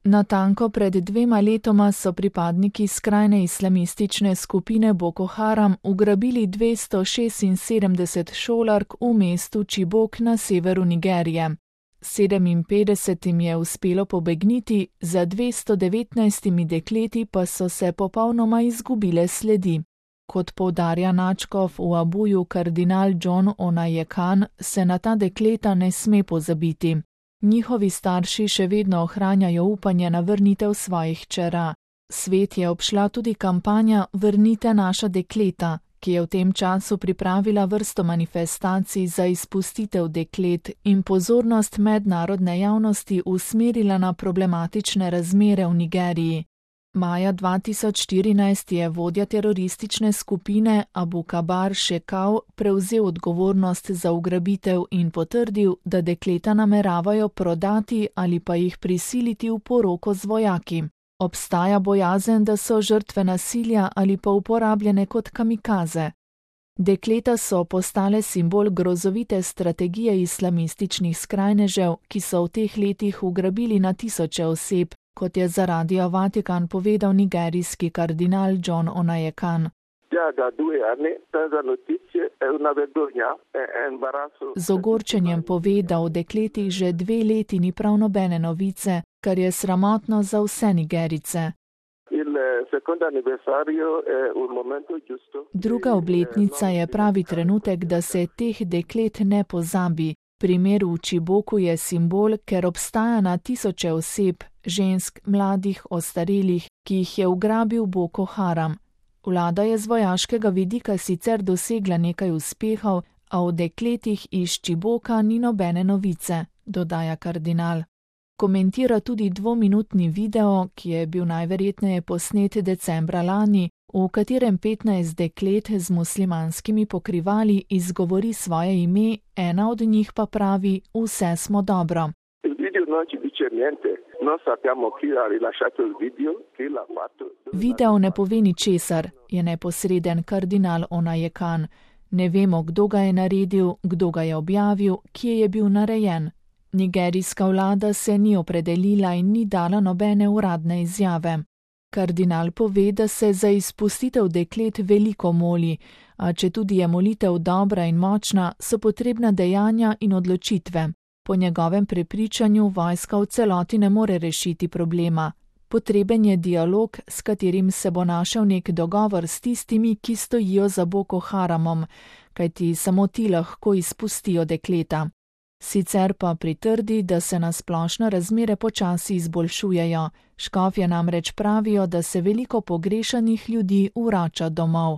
Natanko pred 2 letoma so pripadniki skrajne islamistične skupine Boko Haram ugrabili 276 šolark v mestu Chibok na severu Nigerije. 57 je uspelo pobegniti, za 219 dekleti pa so se popolnoma izgubile sledi. Kot poudarja nadškof v Abuju kardinal John Onayekan, se na ta dekleta ne sme pozabiti. Njihovi starši še vedno ohranjajo upanje na vrnitev svojih hčera. Svet je obšla tudi kampanja Vrnite naša dekleta, ki je v tem času pripravila vrsto manifestacij za izpustitev deklet in pozornost mednarodne javnosti usmerila na problematične razmere v Nigeriji. Maja 2014 je vodja teroristične skupine Abu Kabar Shekau prevzel odgovornost za ugrabitev in potrdil, da dekleta nameravajo prodati ali pa jih prisiliti v poroko z vojaki. Obstaja bojazen, da so žrtve nasilja ali pa uporabljene kot kamikaze. Dekleta so postale simbol grozovite strategije islamističnih skrajnežev, ki so v teh letih ugrabili na tisoče oseb, kot je za Radio Vatikan povedal nigerijski kardinal John Onayekan. Z ogorčenjem pove, da o dekletih že 2 leti ni prav nobene novice, kar je sramotno za vse Nigerice. Druga obletnica je pravi trenutek, da se teh deklet ne pozabi. Primer v Chiboku je simbol, ker obstaja na tisoče oseb, žensk, mladih, ostarelih, ki jih je ugrabil Boko Haram. Vlada je z vojaškega vidika sicer dosegla nekaj uspehov, a o dekletih iz Chiboka ni nobene novice, dodaja kardinal. Komentira tudi 2-minutni video, ki je bil najverjetneje posnet decembra lani, v katerem 15 deklet z muslimanskimi pokrivali izgovori svoje ime, ena od njih pa pravi: vse smo dobro. Video ne pove ničesar, je neposreden kardinal Onayekan. Ne vemo, kdo ga je naredil, kdo ga je objavil, kje je bil narejen. Nigerijska vlada se ni opredelila in ni dala nobene uradne izjave. Kardinal pove, da se za izpustitev deklet veliko moli, a četudi je molitev dobra in močna, so potrebna dejanja in odločitve. Po njegovem prepričanju vojska v celoti ne more rešiti problema. Potreben je dialog, s katerim se bo našel nek dogovor s tistimi, ki stojijo za Boko Haramom, kajti samo ti lahko izpustijo dekleta. Sicer pa pritrdi, da se na splošno razmere počasi izboljšujejo. Škofje namreč pravijo, da se veliko pogrešanih ljudi vrača domov.